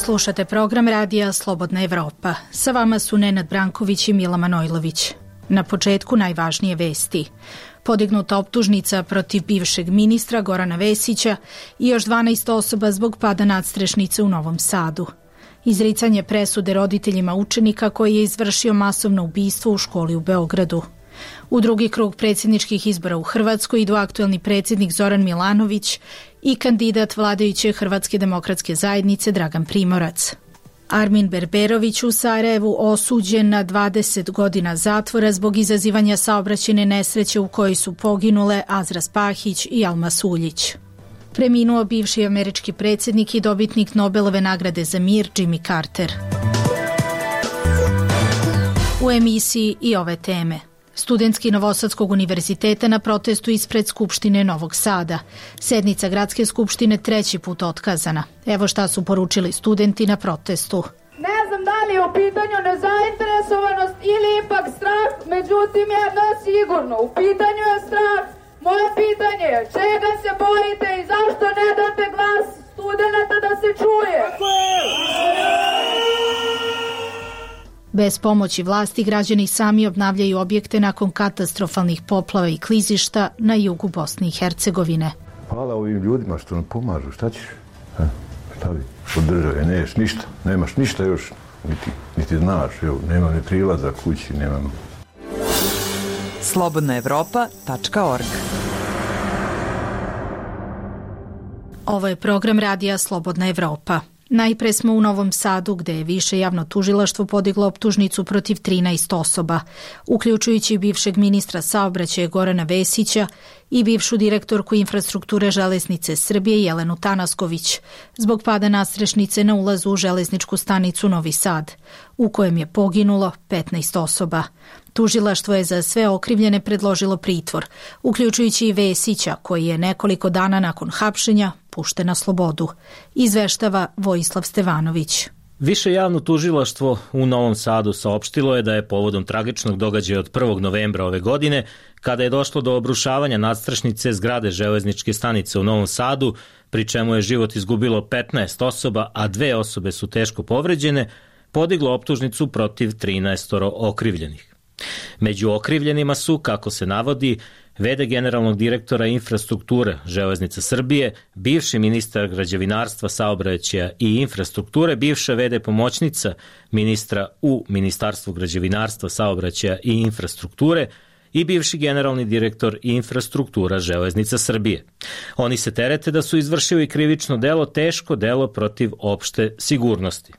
Slušate program radija Slobodna Evropa. Sa vama su Nenad Branković i Mila Manojlović. Na početku najvažnije vesti. Podignuta optužnica protiv bivšeg ministra Gorana Vesića i još 12 osoba zbog pada nadstrešnice u Novom Sadu. Izricanje presude roditeljima učenika koji je izvršio masovno ubistvo u školi u Beogradu. U drugi krug predsjedničkih izbora u Hrvatskoj idu aktuelni predsjednik Zoran Milanović i kandidat vladajuće Hrvatske demokratske zajednice Dragan Primorac. Armin Berberović u Sarajevu osuđen na 20 godina zatvora zbog izazivanja saobraćajne nesreće u kojoj su poginule Azra Pahić i Alma Suljić. Preminuo bivši američki predsjednik i dobitnik Nobelove nagrade za mir Jimmy Carter. U emisiji i ove teme. Studentski Novosadskog univerziteta na protestu ispred Skupštine Novog Sada. Sednica Gradske skupštine 3. put otkazana. Evo šta su poručili studenti na protestu. Ne znam da li je u pitanju nezainteresovanost ili ipak strah, međutim jedno je sigurno, u pitanju je strah. Moje pitanje je čega se bojite i zašto ne date glas studenata da se čuje? Bez pomoći vlasti građani sami obnavljaju objekte nakon katastrofalnih poplava i klizišta na jugu Bosne i Hercegovine. Hvala ovim ljudima što nam pomažu, šta ćeš? Šta bi? Od države neš ništa, nemaš ništa još, niti znaš, evo, nema ni prilaza kući, nemam. slobodnaevropa.org. Ovo je program radija Slobodna Evropa. Najpre smo u Novom Sadu, gde je više javno tužilaštvo podiglo optužnicu protiv 13 osoba, uključujući bivšeg ministra saobraćaja Gorana Vesića i bivšu direktorku infrastrukture Železnice Srbije Jelenu Tanasković, zbog pada nadstrešnice na ulazu u železničku stanicu Novi Sad, u kojem je poginulo 15 osoba. Tužilaštvo je za sve okrivljene predložilo pritvor, uključujući i Vesića, koji je nekoliko dana nakon hapšenja pušten na slobodu, izveštava Vojislav Stevanović. Više javno tužilaštvo u Novom Sadu saopštilo je da je povodom tragičnog događaja od 1. novembra ove godine, kada je došlo do obrušavanja nadstrešnice zgrade železničke stanice u Novom Sadu, pri čemu je život izgubilo 15 osoba, a 2 osobe su teško povređene, podiglo optužnicu protiv 13 okrivljenih. Među okrivljenima su, kako se navodi, v.d. generalnog direktora infrastrukture Železnica Srbije, bivši ministar građevinarstva, saobraćaja i infrastrukture, bivša v.d. pomoćnica ministra u Ministarstvu građevinarstva, saobraćaja i infrastrukture i bivši generalni direktor infrastruktura Železnica Srbije. Oni se terete da su izvršili krivično delo, teško delo protiv opšte sigurnosti.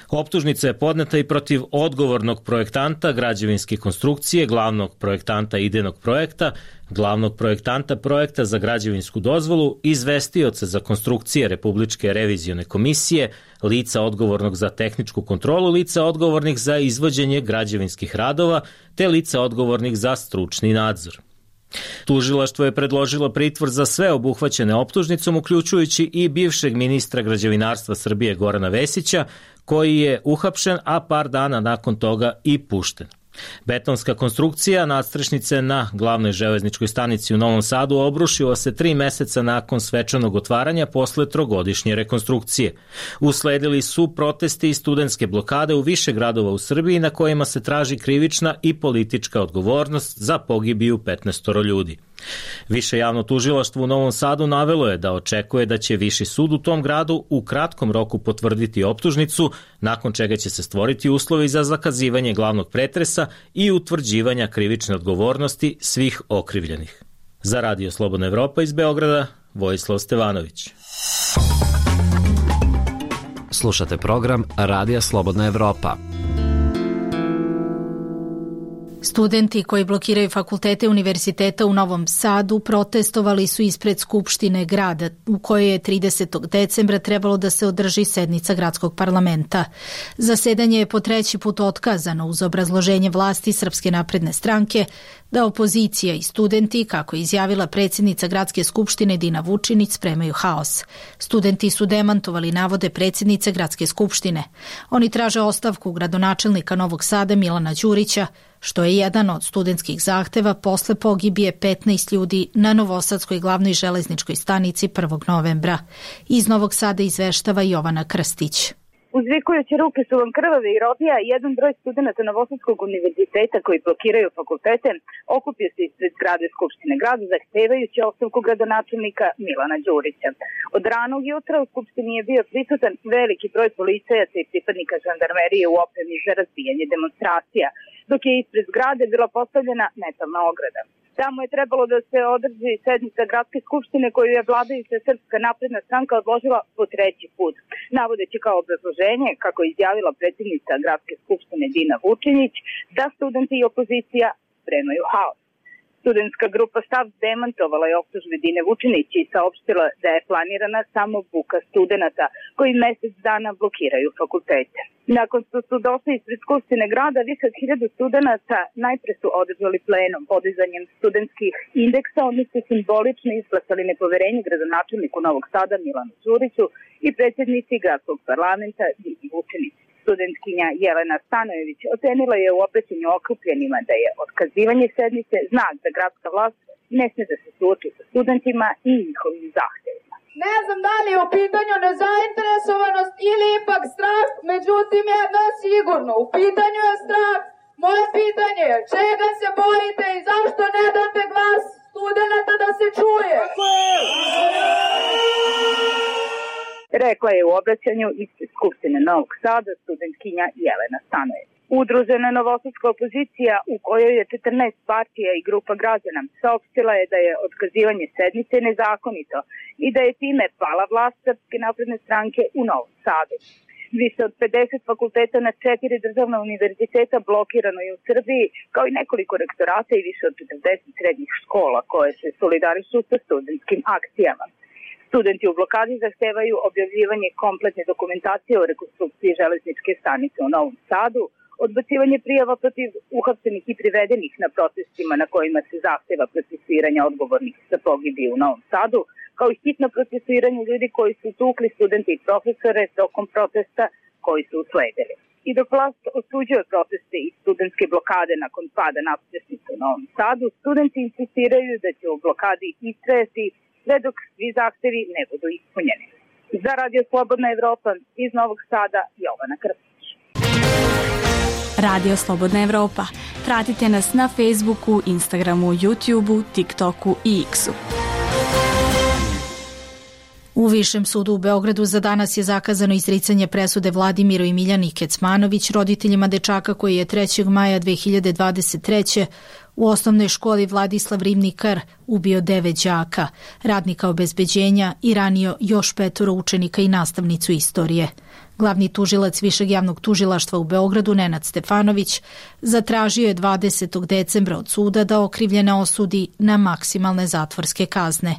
Optužnica je podneta i protiv odgovornog projektanta građevinske konstrukcije, glavnog projektanta idejnog projekta, glavnog projektanta projekta za građevinsku dozvolu, izvestioca za konstrukcije Republičke revizione komisije, lica odgovornog za tehničku kontrolu, lica odgovornih za izvođenje građevinskih radova, te lica odgovornih za stručni nadzor. Tužilaštvo je predložilo pritvor za sve obuhvaćene optužnicom, uključujući i bivšeg ministra građevinarstva Srbije Gorana Vesića, koji je uhapšen, a par dana nakon toga i pušten. Betonska konstrukcija nadstrešnice na glavnoj železničkoj stanici u Novom Sadu obrušila se 3 meseca nakon svečanog otvaranja posle 3-godišnje rekonstrukcije. Usledili su protesti i studentske blokade u više gradova u Srbiji na kojima se traži krivična i politička odgovornost za pogibiju 15 ljudi. Više javno tužilaštvo u Novom Sadu navelo je da očekuje da će Viši sud u tom gradu u kratkom roku potvrditi optužnicu, nakon čega će se stvoriti uslovi za zakazivanje glavnog pretresa i utvrđivanja krivične odgovornosti svih okrivljenih. Za Radio Slobodna Evropa iz Beograda, Vojislav Stevanović. Slušate program Radija Slobodna Evropa. Studenti koji blokiraju fakultete univerziteta u Novom Sadu protestovali su ispred Skupštine grada, u kojoj je 30. decembra trebalo da se održi sednica gradskog parlamenta. Zasedanje je po 3. put otkazano uz obrazloženje vlasti Srpske napredne stranke da opozicija i studenti, kako je izjavila predsjednica gradske skupštine Dina Vučinić, spremaju haos. Studenti su demantovali navode predsjednice gradske skupštine. Oni traže ostavku gradonačelnika Novog Sada Milana Đurića, što je jedan od studentskih zahteva posle pogibije 15 ljudi na Novosadskoj glavnoj železničkoj stanici 1. novembra. Iz Novog Sada izveštava Jovana Krstić. Uzvikujući ruke su vam krvave i robija, jedan broj studenta Novosadskog univerziteta koji blokiraju fakultete okupio se ispred zgrade Skupštine grada zahtevajući ostavku gradonačelnika Milana Đurića. Od ranog jutra u Skupštini je bio prisutan veliki broj policajaca i pripadnika žandarmerije u opremi za razbijanje demonstracija, dok je ispred zgrade bila postavljena metalna ograda. Tamo je trebalo da se održi sednica gradske skupštine koju je vladajuća Srpska napredna stranka odložila po 3. put, navodeći kao obrazloženje, kako je izjavila predsjednica gradske skupštine Dina Vučinić, da studenti i opozicija spremaju haos. Studentska grupa Stav demantovala je optužbe Dine Vučinić i saopštila da je planirana samo buka studenata koji mesec dana blokiraju fakultete. Nakon što su došli ispred Skupštine grada, više od 1000 studenata najpre su održali plenum podizanjem studentskih indeksa, oni su simbolično izglasali nepoverenje gradonačelniku Novog Sada Milanu Đuriću i predsjednici gradskog parlamenta Dini Vučinić. Studentkinja Jelena Stanojević ocenila je u obraćanju okupljenima da je otkazivanje sednice znak da gradska vlast ne sme da se suoči sa studentima i njihovim zahtevima. Ne znam da li je u pitanju nezainteresovanost ili ipak strah, međutim jedno je sigurno, u pitanju je strah. Moje pitanje je čega se bojite i zašto ne date glas studenata da se čuje? Rekla je u obraćanju ispred Skupštine Novog Sada studentkinja Jelena Stanojević. Udružena novosadska opozicija u kojoj je 14 partija i grupa građana saopštila je da je otkazivanje sednice nezakonito i da je time pala vlast Srpske napredne stranke u Novom Sadu. Više od 50 fakulteta na 4 državna univerziteta blokirano je u Srbiji, kao i nekoliko rektorata i više od 40 srednjih škola koje se solidarišu sa studentskim akcijama. Studenti u blokadi zahtevaju objavljivanje kompletne dokumentacije o rekonstrukciji železničke stanice u Novom Sadu, odbacivanje prijava protiv uhapšenih i privedenih na protestima na kojima se zahteva procesuiranje odgovornih za pogibije u Novom Sadu, kao i hitno procesuiranje ljudi koji su tukli studente i profesore tokom protesta koji su usledili. I dok vlast osuđuje proteste i studentske blokade nakon pada nadstrešnice u Novom Sadu, studenti insistiraju da će u blokadi istrajati sve dok svi zahtevi ne budu ispunjeni. Za Radio Slobodna Evropa iz Novog Sada, Jovana Krstić. Radio Slobodna Evropa. Pratite nas na Facebooku, Instagramu, YouTubeu, TikToku i X-u. U Višem sudu u Beogradu za danas je zakazano izricanje presude Vladimiru i Miljani Kecmanović, roditeljima dečaka koji je 3. maja 2023. u osnovnoj školi Vladislav Ribnikar ubio 9 đaka, radnika obezbeđenja i ranio još 5 učenika i nastavnicu istorije. Glavni tužilac Višeg javnog tužilaštva u Beogradu, Nenad Stefanović, zatražio je 20. decembra od suda da okrivljene osudi na maksimalne zatvorske kazne.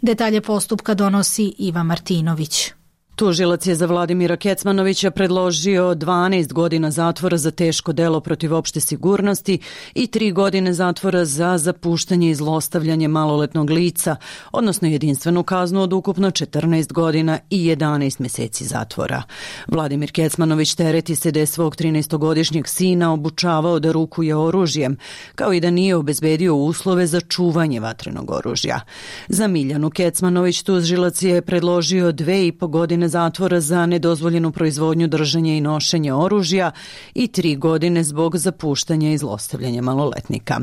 Detalje postupka donosi Iva Martinović. Tužilac je za Vladimira Kecmanovića predložio 12 godina zatvora za teško delo protiv opšte sigurnosti i 3 godine zatvora za zapuštanje i zlostavljanje maloletnog lica, odnosno jedinstvenu kaznu od ukupno 14 godina i 11 meseci zatvora. Vladimir Kecmanović tereti se da je svog 13-godišnjeg sina obučavao da rukuje oružjem, kao i da nije obezbedio uslove za čuvanje vatrenog oružja. Za Miljanu Kecmanović tužilac je predložio 2,5 godine zatvora za nedozvoljenu proizvodnju, držanje i nošenje oružja i 3 godine zbog zapuštanja i zlostavljanja maloletnika.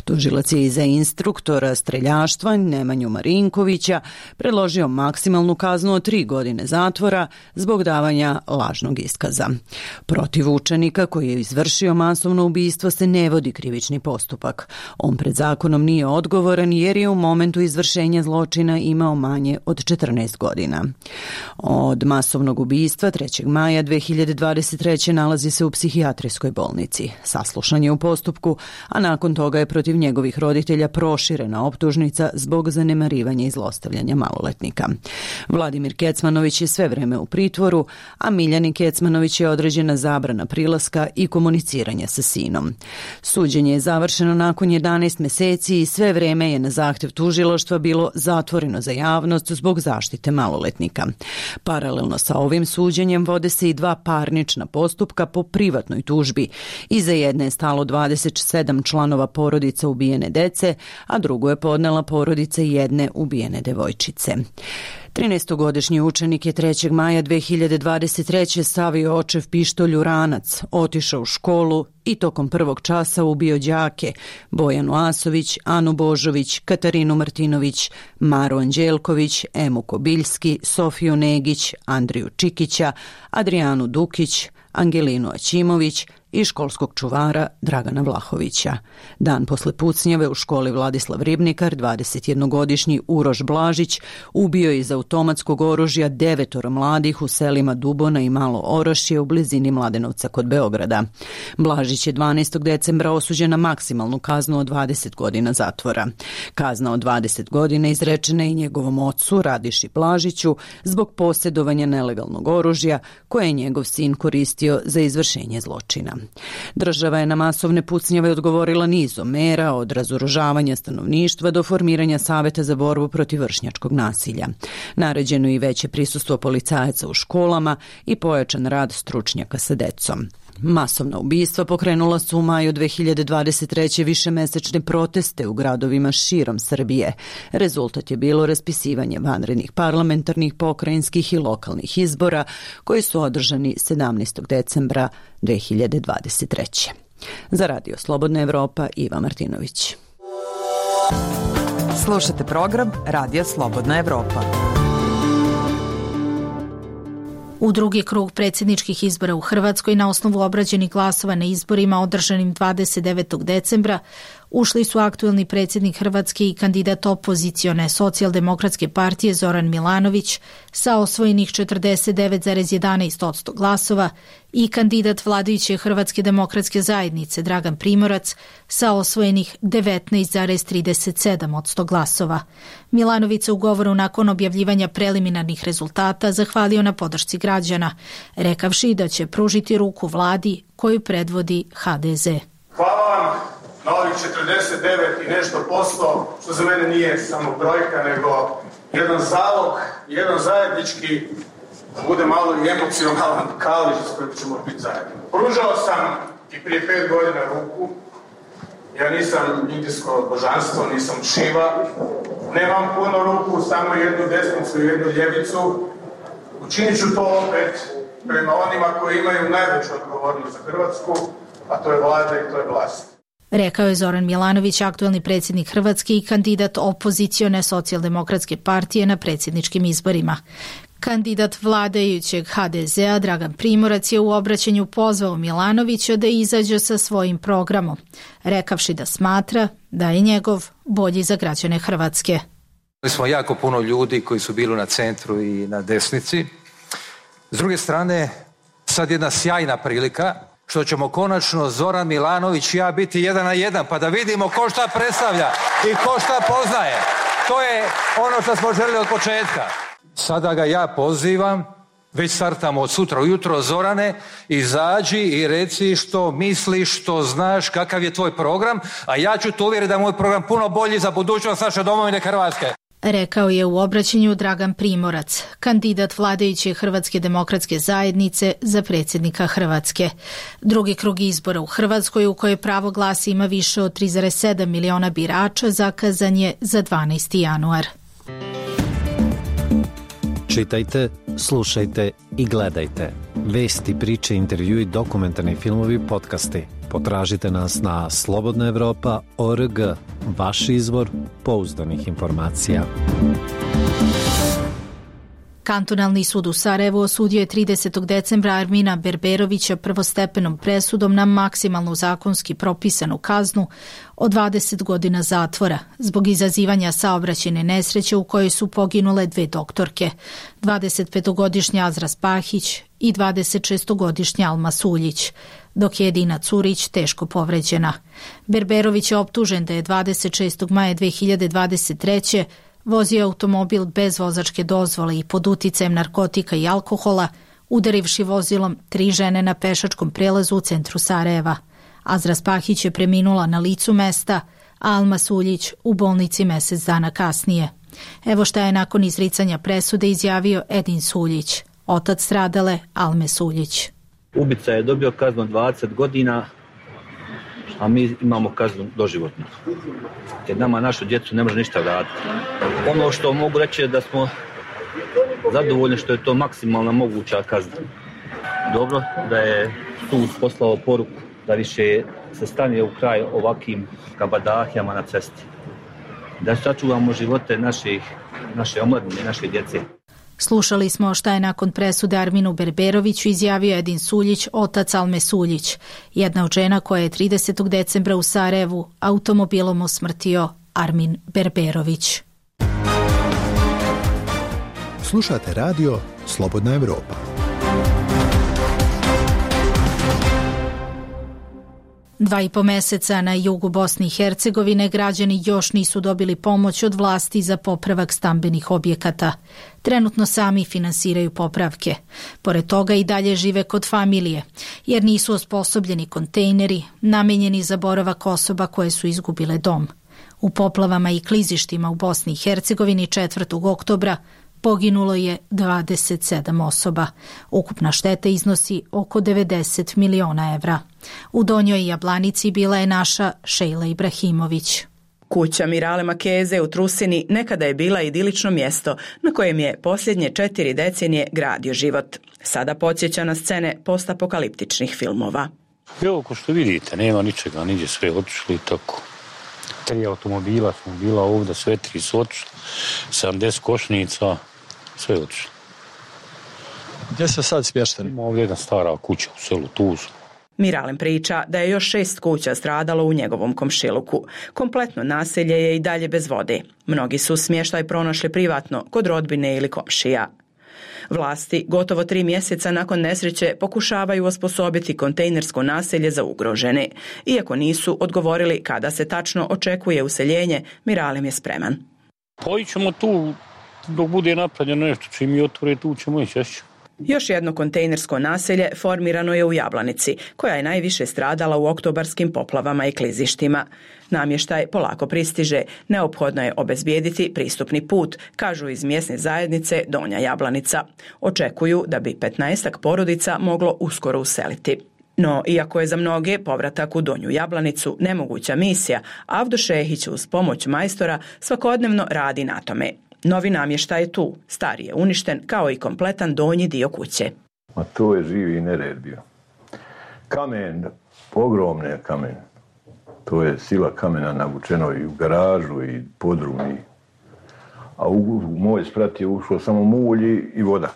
Tužilac je i za instruktora streljaštva Nemanju Marinkovića predložio maksimalnu kaznu od 3 godine zatvora zbog davanja lažnog iskaza. Protiv učenika koji je izvršio masovno ubistvo se ne vodi krivični postupak. On pred zakonom nije odgovoran jer je u momentu izvršenja zločina imao manje od 14 godina. Od masovnog ubistva 3. maja 2023. nalazi se u psihijatrijskoj bolnici. Saslušan je u postupku, a nakon toga je protiv njegovih roditelja proširena optužnica zbog zanemarivanja i zlostavljanja maloletnika. Vladimir Kecmanović je sve vreme u pritvoru, a Miljani Kecmanović je određena zabrana prilaska i komuniciranja sa sinom. Suđenje je završeno nakon 11 meseci i sve vreme je na zahtev tužilaštva bilo zatvoreno za javnost zbog zaštite maloletnika. Paralelno sa ovim suđenjem vode se i 2 parnična postupka po privatnoj tužbi. Iza jedne je stalo 27 članova porodica ubijene dece, a drugu je podnela porodica jedne ubijene devojčice. 13-godišnji učenik je 3. maja 2023. stavio očev pištolj u ranac, otišao u školu i tokom prvog časa ubio đake Bojanu Asović, Anu Božović, Katarinu Martinović, Maru Anđelković, Emu Kobiljski, Sofiju Negić, Andriju Čikića, Adrijanu Dukić, Angelinu Aćimović i školskog čuvara Dragana Vlahovića. Dan posle pucnjave u školi Vladislav Ribnikar, 21-godišnji Uroš Blažić ubio je iz automatskog oružja 9 mladih u selima Dubona i Malo Orašje u blizini Mladenovca kod Beograda. Blažić je 12. decembra osuđen na maksimalnu kaznu od 20 godina zatvora. Kazna od 20 godina izrečena je i njegovom ocu Radiši Blažiću zbog posjedovanja nelegalnog oružja koje je njegov sin koristio za izvršenje zločina. Država je na masovne pucnjave odgovorila nizom mera, od razoružavanja stanovništva do formiranja saveta za borbu protiv vršnjačkog nasilja. Naređeno je i veće prisustvo policajaca u školama i pojačan rad stručnjaka sa decom. Masovna ubistva pokrenula su u maju 2023. višemesečne proteste u gradovima širom Srbije. Rezultat je bilo raspisivanje vanrednih parlamentarnih, pokrajinskih i lokalnih izbora koji su održani 17. decembra 2023. Za Radio Slobodna Evropa, Iva Martinović. Slušate program Radija Slobodna Evropa. U drugi krug predsjedničkih izbora u Hrvatskoj na osnovu obrađenih glasova na izborima održanim 29. decembra ušli su aktuelni predsjednik Hrvatske i kandidat opozicione Socijaldemokratske partije Zoran Milanović sa osvojenih 49,11% glasova i kandidat vladajuće Hrvatske demokratske zajednice Dragan Primorac sa osvojenih 19,37% glasova. Milanović se u govoru nakon objavljivanja preliminarnih rezultata zahvalio na podršci građana, rekavši da će pružiti ruku vladi koju predvodi HDZ. Hvala vam na ovih 49 i nešto posto, što za mene nije samo brojka, nego jedan zalog, jedan zajednički, da bude malo i emocionalan kališ s kojim ćemo biti zajedno. Pružao sam i prije 5 godina ruku. Ja nisam indijsko božanstvo, nisam Šiva. Nemam puno ruku, samo jednu desnicu i jednu ljevicu. Učinit ću to opet prema onima koji imaju najveću odgovornost za Hrvatsku, a to je vlada i to je vlast. Rekao je Zoran Milanović, aktuelni predsjednik Hrvatske i kandidat opozicione Socijaldemokratske partije na predsjedničkim izborima. Kandidat vladajućeg HDZ-a Dragan Primorac je u obraćanju pozvao Milanovića da izađe sa svojim programom, rekavši da smatra da je njegov bolji za građane Hrvatske. Imali smo jako puno ljudi koji su bili na centru i na desnici. S druge strane, sad jedna sjajna prilika što ćemo konačno Zoran Milanović i ja biti 1 na 1, pa da vidimo ko šta predstavlja i ko šta poznaje. To je ono što smo želeli od početka. Sada ga ja pozivam, već startamo od sutra ujutro, Zorane, izađi i reci što misliš, što znaš, kakav je tvoj program, a ja ću te uvjeriti da je moj program puno bolji za budućnost naše domovine Hrvatske. Rekao je u obraćanju Dragan Primorac, kandidat vladajuće Hrvatske demokratske zajednice za predsjednika Hrvatske. Drugi krug izbora u Hrvatskoj, u kojoj pravo glasa ima više od 3,7 miliona birača, zakazan je za 12. januar. Čitajte, slušajte i gledajte. Vesti, priče, intervjui, dokumentarni filmovi, podcasti. Potražite nas na slobodnaevropa.org, vaš izvor pouzdanih informacija. Kantonalni sud u Sarajevu osudio je 30. decembra Armina Berberovića prvostepenom presudom na maksimalnu zakonski propisanu kaznu od 20 godina zatvora zbog izazivanja saobraćajne nesreće u kojoj su poginule 2 doktorke, 25-godišnja Azra Spahić i 26-godišnja Alma Suljić, dok je Edina Curić teško povređena. Berberović je optužen da je 26. maja 2023. vozio automobil bez vozačke dozvole i pod uticajem narkotika i alkohola, udarivši vozilom 3 žene na pešačkom prelazu u centru Sarajeva. Azra Spahić je preminula na licu mesta, a Alma Suljić u bolnici mjesec dana kasnije. Evo šta je nakon izricanja presude izjavio Edin Suljić, otac stradale Alme Suljić. Ubica je dobio kaznu 20 godina, a mi imamo kaznu doživotnu. Jer nama našu djecu ne može ništa vratiti. Ono što mogu reći je da smo zadovoljni što je to maksimalna moguća kazna. Dobro da je sud poslao poruku da više se stane u kraj ovakvim kabadahijama na cesti. Da sačuvamo živote naše omladine, naše djece. Slušali smo šta je nakon presude Arminu Berberoviću izjavio Edin Suljić, otac Alme Suljić, jedna od žena koja je 30. decembra u Sarajevu automobilom usmrtio Armin Berberović. Slušate radio Slobodna Evropa. Dva i po meseca na jugu Bosne i Hercegovine građani još nisu dobili pomoć od vlasti za popravak stambenih objekata. Trenutno sami finansiraju popravke. Pored toga i dalje žive kod familije, jer nisu osposobljeni kontejneri namenjeni za boravak osoba koje su izgubile dom. U poplavama i klizištima u Bosni i Hercegovini 4. oktobra poginulo je 27 osoba. Ukupna šteta iznosi oko 90 miliona evra. U Donjoj Jablanici bila je naša Šejla Ibrahimović. Kuća Mirale Makeze u Trusini nekada je bila idilično mjesto na kojem je posljednje 4 decenije gradio život. Sada podsjeća na scene postapokaliptičnih filmova. Evo, ko što vidite, nema ničega, niđe sve otišli i tako. 3 automobila smo bila ovdje, sve 3 su otišli, 70 košnica, sve je otišlo. Gdje se sad smješteni? Ovdje je jedna stara kuća u selu Tuzlu. Miralem priča da je još 6 kuća stradalo u njegovom komšiluku. Kompletno naselje je i dalje bez vode. Mnogi su smještaj pronašli privatno, kod rodbine ili komšija. Vlasti gotovo 3 mjeseca nakon nesreće pokušavaju osposobiti kontejnersko naselje za ugrožene. Iako nisu odgovorili kada se tačno očekuje useljenje, Miralem je spreman. Pojićemo tu dok bude napravljeno nešto, čim mi otvore tu ćemo ići. Još jedno kontejnersko naselje formirano je u Jablanici, koja je najviše stradala u oktobarskim poplavama i klizištima. Namještaj polako pristiže, neophodno je obezbijediti pristupni put, kažu iz mjesne zajednice Donja Jablanica. Očekuju da bi 15 porodica moglo uskoro useliti. No, iako je za mnoge povratak u Donju Jablanicu nemoguća misija, Avdo Šehić uz pomoć majstora svakodnevno radi na tome. Novi namještaj je tu, stari je uništen kao i kompletan donji dio kuće. A to je živi nered bio. Kamen, ogromne kamen. To je sila kamena navučeno i u garažu i podrum. A u moj sprat je ušlo samo mulj i voda.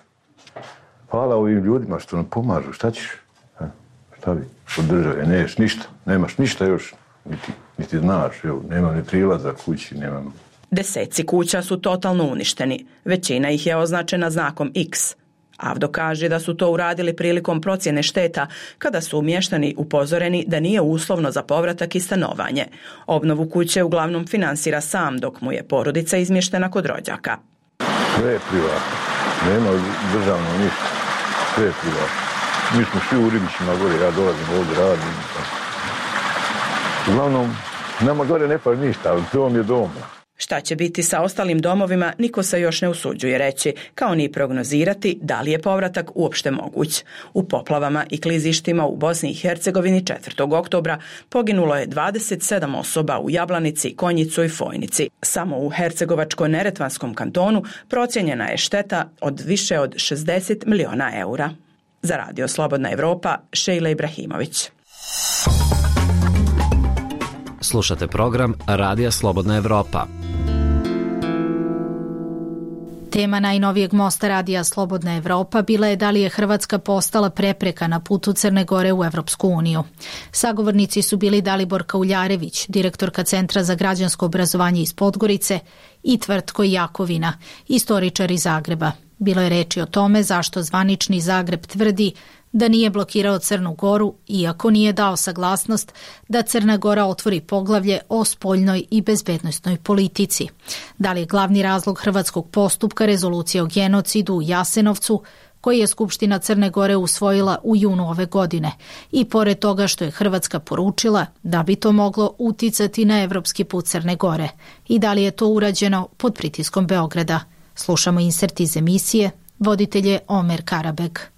Hvala ovim ljudima što nam pomažu, šta ćeš? Šta bi? Od države, neš ništa, nemaš ništa još, niti znaš, evo, nema ni prilaza kući, nemam. Deseci kuća su totalno uništeni. Većina ih je označena znakom X. Avdo kaže da su to uradili prilikom procjene šteta, kada su mještani upozoreni da nije uslovno za povratak i stanovanje. Obnovu kuće uglavnom finansira sam, dok mu je porodica izmještena kod rođaka. Sve je privatno. Nema državno ništa. Sve je privatno. Mi smo svi u Ribićima gore, ja dolazim ovdje, radim. Uglavnom, nama gore ne pa ništa, ali dom je dom. Šta će biti sa ostalim domovima, niko se još ne usuđuje reći, kao ni prognozirati da li je povratak uopšte moguć. U poplavama i klizištima u Bosni i Hercegovini 4. oktobra poginulo je 27 osoba u Jablanici, Konjicu i Fojnici. Samo u Hercegovačko-Neretvanskom kantonu procijenjena je šteta od više od 60 miliona eura. Za radio Slobodna Evropa, Šejla Ibrahimović. Slušate program Radija Slobodna Evropa. Tema najnovijeg mosta Radija Slobodna Evropa bila je da li je Hrvatska postala prepreka na putu Crne Gore u Evropsku uniju. Sagovornici su bili Dalibor Kauljarević, direktorka Centra za građansko obrazovanje iz Podgorice, i Tvrtko Jakovina, istoričar iz Zagreba. Bilo je reči o tome zašto zvanični Zagreb tvrdi da nije blokirao Crnu Goru, iako nije dao saglasnost da Crna Gora otvori poglavlje o spoljnoj i bezbednosnoj politici. Da li je glavni razlog hrvatskog postupka rezolucija o genocidu u Jasenovcu, koji je Skupština Crne Gore usvojila u junu ove godine, i pored toga što je Hrvatska poručila da bi to moglo uticati na evropski put Crne Gore, i da li je to urađeno pod pritiskom Beograda. Slušamo insert iz emisije, voditelj je Omer Karabek.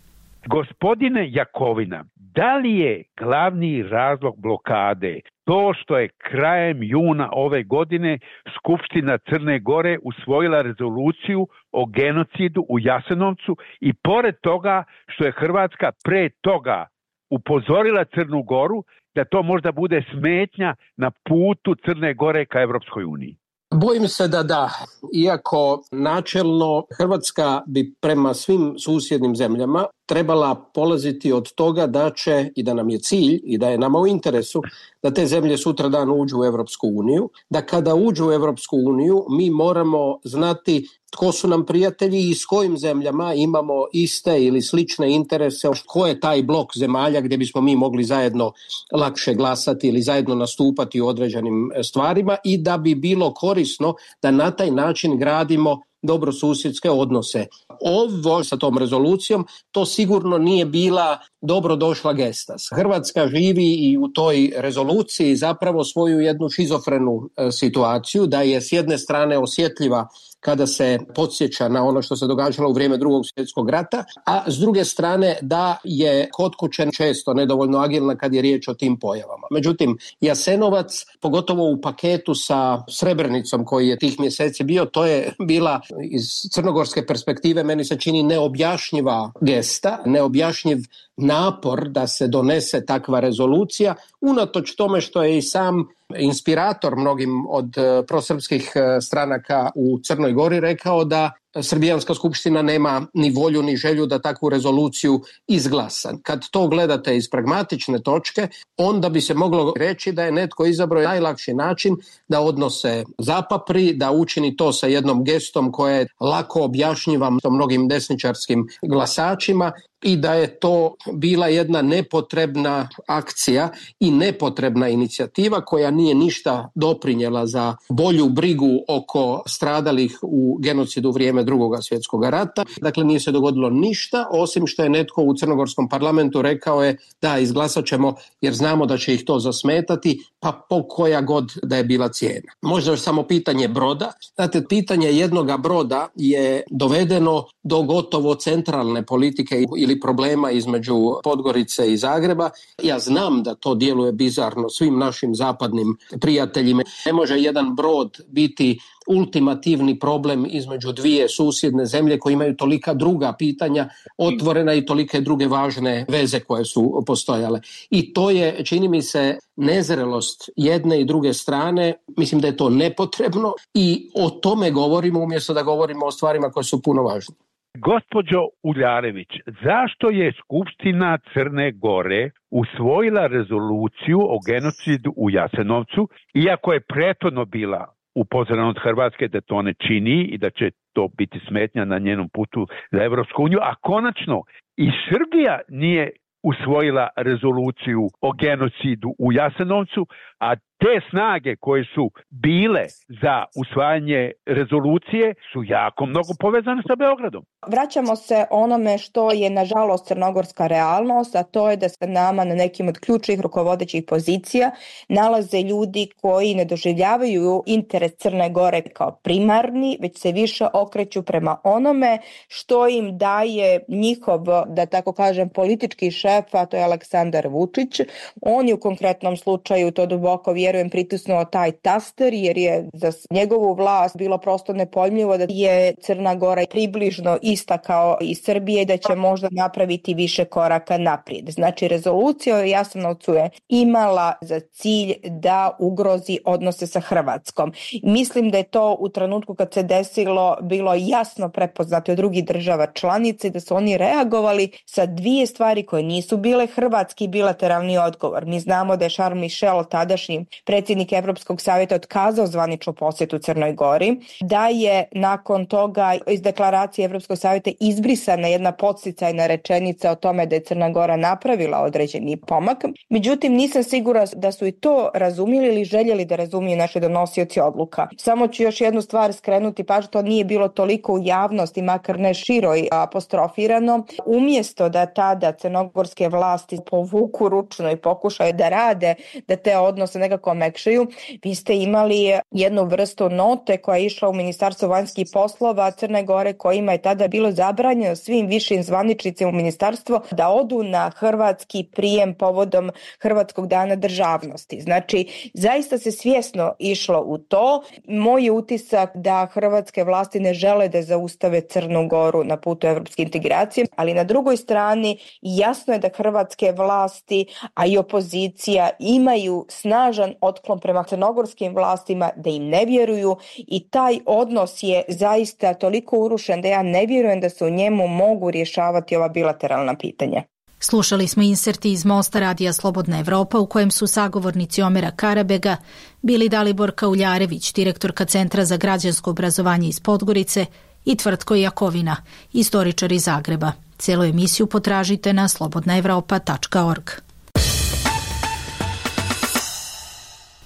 Gospodine Jakovina, da li je glavni razlog blokade to što je krajem juna ove godine Skupština Crne Gore usvojila rezoluciju o genocidu u Jasenovcu i pored toga što je Hrvatska pre toga upozorila Crnu Goru da to možda bude smetnja na putu Crne Gore ka Evropskoj uniji? Bojim se da da, iako načelno Hrvatska bi prema svim susjednim zemljama trebala polaziti od toga da će i da nam je cilj i da je nama u interesu da te zemlje sutradan uđu u Evropsku uniju, da kada uđu u Evropsku uniju mi moramo znati tko su nam prijatelji i s kojim zemljama imamo iste ili slične interese, ko je taj blok zemalja gdje bismo mi mogli zajedno lakše glasati ili zajedno nastupati u određenim stvarima i da bi bilo korisno da na taj način gradimo dobrosusjedske odnose. Ovo sa tom rezolucijom to sigurno nije bila dobrodošla gesta. Hrvatska živi i u toj rezoluciji zapravo svoju jednu šizofrenu situaciju, da je s jedne strane osjetljiva kada se podsjeća na ono što se događalo u vrijeme Drugog svjetskog rata, a s druge strane da je kod kuće često nedovoljno agilna kad je riječ o tim pojavama. Međutim, Jasenovac, pogotovo u paketu sa Srebrenicom koji je tih mjeseci bio, to je bila iz crnogorske perspektive meni se čini neobjašnjiva gesta, neobjašnjiv napor da se donese takva rezolucija, unatoč tome što je i sam inspirator mnogim od prosrpskih stranaka u Crnoj Gori rekao da Srbijanska skupština nema ni volju ni želju da takvu rezoluciju izglasa. Kad to gledate iz pragmatične točke, onda bi se moglo reći da je netko izabrao najlakši način da odnose zapapri, da učini to sa jednom gestom koja je lako objašnjiva mnogim desničarskim glasačima i da je to bila jedna nepotrebna akcija i nepotrebna inicijativa koja nije ništa doprinjela za bolju brigu oko stradalih u genocidu u vrijeme Drugog svjetskog rata. Dakle, nije se dogodilo ništa, osim što je netko u crnogorskom parlamentu rekao je da izglasat ćemo jer znamo da će ih to zasmetati, pa po koja god da je bila cijena. Možda još samo pitanje broda. Znate, pitanje jednoga broda je dovedeno do gotovo centralne politike ili problema između Podgorice i Zagreba. Ja znam da to djeluje bizarno svim našim zapadnim prijateljima. Ne može jedan brod biti ultimativni problem između dvije susjedne zemlje koje imaju tolika druga pitanja otvorena i tolike druge važne veze koje su postojale. I to je, čini mi se, nezrelost jedne i druge strane. Mislim da je to nepotrebno i o tome govorimo umjesto da govorimo o stvarima koje su puno važnije. Gospođo Uljarević, zašto je Skupština Crne Gore usvojila rezoluciju o genocidu u Jasenovcu, iako je prethodno bila upozorena od Hrvatske da to ne čini i da će to biti smetnja na njenom putu za Evropsku uniju, a konačno i Srbija nije usvojila rezoluciju o genocidu u Jasenovcu, a te snage koje su bile za usvajanje rezolucije su jako mnogo povezane sa Beogradom. Vraćamo se onome što je nažalost crnogorska realnost, a to je da se nama na nekim od ključnih rukovodećih pozicija nalaze ljudi koji ne doživljavaju interes Crne Gore kao primarni, već se više okreću prema onome što im daje njihov, da tako kažem, politički šef, a to je Aleksandar Vučić. On je u konkretnom slučaju, to duboko vjerujem, pritisnuo taj taster jer je za njegovu vlast bilo prosto nepojmljivo da je Crna Gora približno ista kao i Srbije i da će možda napraviti više koraka naprijed. Znači, rezolucija o Jasenovcu je imala za cilj da ugrozi odnose sa Hrvatskom. Mislim da je to u trenutku kad se desilo bilo jasno prepoznato od drugih država članice, da su oni reagovali sa dvije stvari koje nisu bile hrvatski bilateralni odgovor. Mi znamo da je Charles Michel, tadašnji predsjednik Evropskog savjeta, otkazao zvaničnu posjetu Crnoj Gori, da je nakon toga iz deklaracije Evropskog savjeta izbrisana jedna podsticajna rečenica o tome da je Crna Gora napravila određeni pomak. Međutim, nisam sigurna da su i to razumjeli ili željeli da razumiju naši donosioci odluka. Samo ću još jednu stvar skrenuti, pa što nije bilo toliko u javnosti, makar ne široj apostrofirano. Umjesto da tada crnogorske vlasti povuku ručno i pokušaju da rade, da te odnose nekako ipak omekšaju. Vi ste imali jednu vrstu note koja je išla u Ministarstvo vanjskih poslova Crne Gore, kojima je tada bilo zabranjeno svim višim zvaničnicima u ministarstvo da odu na hrvatski prijem povodom Hrvatskog dana državnosti. Znači, zaista se svjesno išlo u to. Moj je utisak da hrvatske vlasti ne žele da zaustave Crnu Goru na putu evropske integracije, ali na drugoj strani jasno je da hrvatske vlasti, a i opozicija imaju snažan otklon prema crnogorskim vlastima, da im ne vjeruju i taj odnos je zaista toliko urušen da ja ne vjerujem da se u njemu mogu rješavati ova bilateralna pitanja. Slušali smo inserti iz Mosta Radija Slobodna Evropa u kojem su sagovornici Omera Karabega bili Dalibor Kauljarević, direktorka Centra za građansko obrazovanje iz Podgorice, i Tvrtko Jakovina, istoričar iz Zagreba. Cijelu emisiju potražite na slobodnaevropa.org.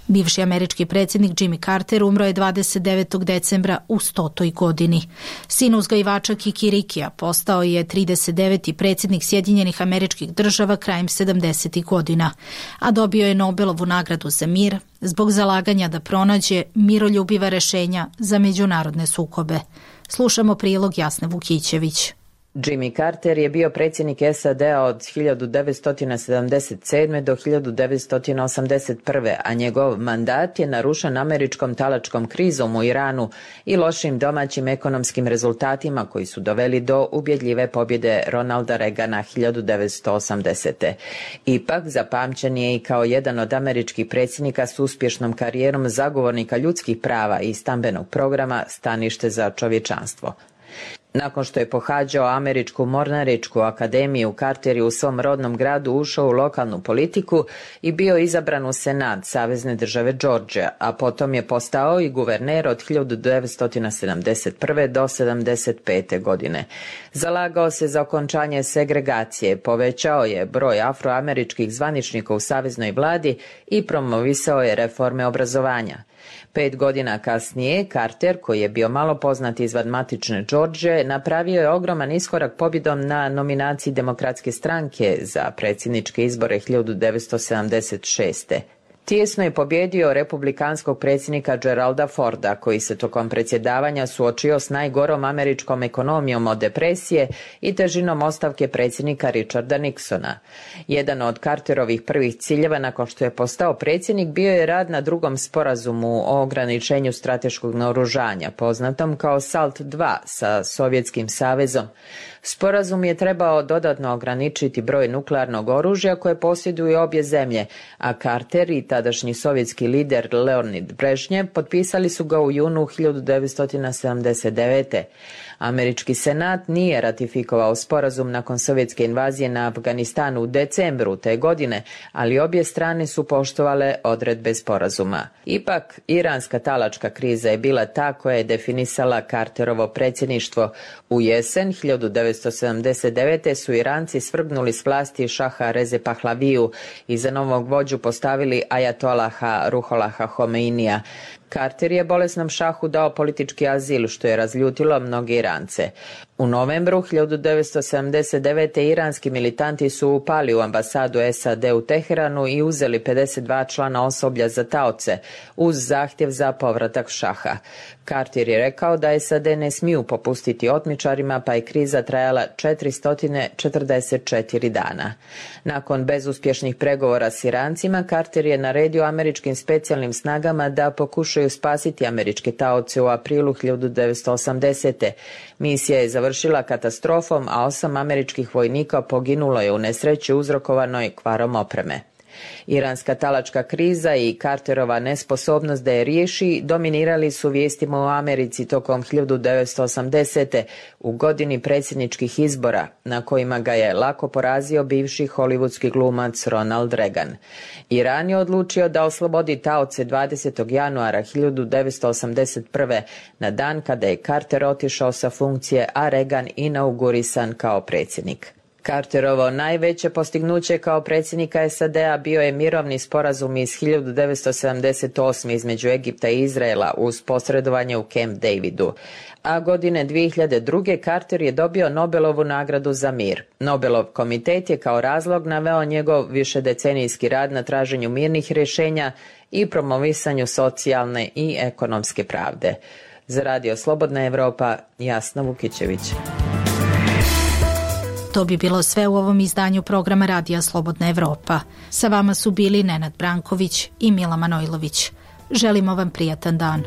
Bivši američki predsjednik Jimmy Carter umro je 29. decembra u 100. godini. Sin uzgajivača kikirikija postao je 39. predsjednik Sjedinjenih Američkih Država krajem 70. godina, a dobio je Nobelovu nagradu za mir zbog zalaganja da pronađe miroljubiva rješenja za međunarodne sukobe. Slušamo prilog Jasne Vukićević. Jimmy Carter je bio predsjednik SAD-a od 1977. do 1981. a njegov mandat je narušen američkom talačkom krizom u Iranu i lošim domaćim ekonomskim rezultatima koji su doveli do ubjedljive pobjede Ronalda Reagana 1980. Ipak, zapamćen je i kao jedan od američkih predsjednika s uspješnom karijerom zagovornika ljudskih prava i stambenog programa Stanište za čovječanstvo. Nakon što je pohađao Američku mornaričku akademiju, Carter je u svom rodnom gradu ušao u lokalnu politiku i bio izabran u Senat Savezne države Georgia, a potom je postao i guverner od 1971. do 1975. godine. Zalagao se za okončanje segregacije, povećao je broj afroameričkih zvaničnika u saveznoj vladi i promovisao je reforme obrazovanja. 5 godina kasnije, Carter, koji je bio malo poznat izvan matične Georgije, napravio je ogroman iskorak pobjedom na nominaciji Demokratske stranke za predsjedničke izbore 1976. Tijesno je pobjedio republikanskog predsjednika Geralda Forda, koji se tokom predsjedavanja suočio s najgorom američkom ekonomijom od depresije i težinom ostavke predsjednika Richarda Nixona. Jedan od Carterovih prvih ciljeva nakon što je postao predsjednik bio je rad na drugom sporazumu o ograničenju strateškog naoružanja, poznatom kao SALT II sa Sovjetskim savezom. Sporazum je trebao dodatno ograničiti broj nuklearnog oružja koje posjeduju obje zemlje, a Carter i tadašnji sovjetski lider Leonid Brežnjev potpisali su ga u junu 1979. Američki senat nije ratifikovao sporazum nakon sovjetske invazije na Afganistan u decembru te godine, ali obje strane su poštovale odredbe sporazuma. Ipak, iranska talačka kriza je bila ta koja je definisala Carterovo predsjedništvo. U jesen 1979. su Iranci svrgnuli s vlasti šaha Reze Pahlaviju i za novog vođu postavili ajatolaha Ruholaha Homeinija. Carter je bolesnom šahu dao politički azil, što je razljutilo mnoge Irance. U novembru 1979. iranski militanti su upali u ambasadu SAD u Teheranu i uzeli 52 člana osoblja za taoce, uz zahtjev za povratak šaha. Carter je rekao da SAD ne smiju popustiti otmičarima, pa je kriza trajala 444 dana. Nakon bezuspješnih pregovora s Irancima, Carter je naredio američkim specijalnim snagama da pokušaju spasiti američke taoce u aprilu 1980. Misija je završila katastrofom, a 8 američkih vojnika poginulo je u nesreći uzrokovanoj kvarom opreme. Iranska talačka kriza i Carterova nesposobnost da je riješi dominirali su vijestima u Americi tokom 1980. u godini predsjedničkih izbora, na kojima ga je lako porazio bivši hollywoodski glumac Ronald Reagan. Iran je odlučio da oslobodi taoce 20. januara 1981. na dan kada je Carter otišao sa funkcije, a Reagan inaugurisan kao predsjednik. Carterovo najveće postignuće kao predsjednika SAD-a bio je mirovni sporazum iz 1978. između Egipta i Izraela uz posredovanje u Camp Davidu. A godine 2002. Carter je dobio Nobelovu nagradu za mir. Nobelov komitet je kao razlog naveo njegov višedecenijski rad na traženju mirnih rješenja i promovisanju socijalne i ekonomske pravde. Za Radio Slobodna Evropa, Jasna Vukićević. To bi bilo sve u ovom izdanju programa Radija Slobodna Evropa. Sa vama su bili Nenad Branković i Mila Manojlović. Želimo vam prijatan dan.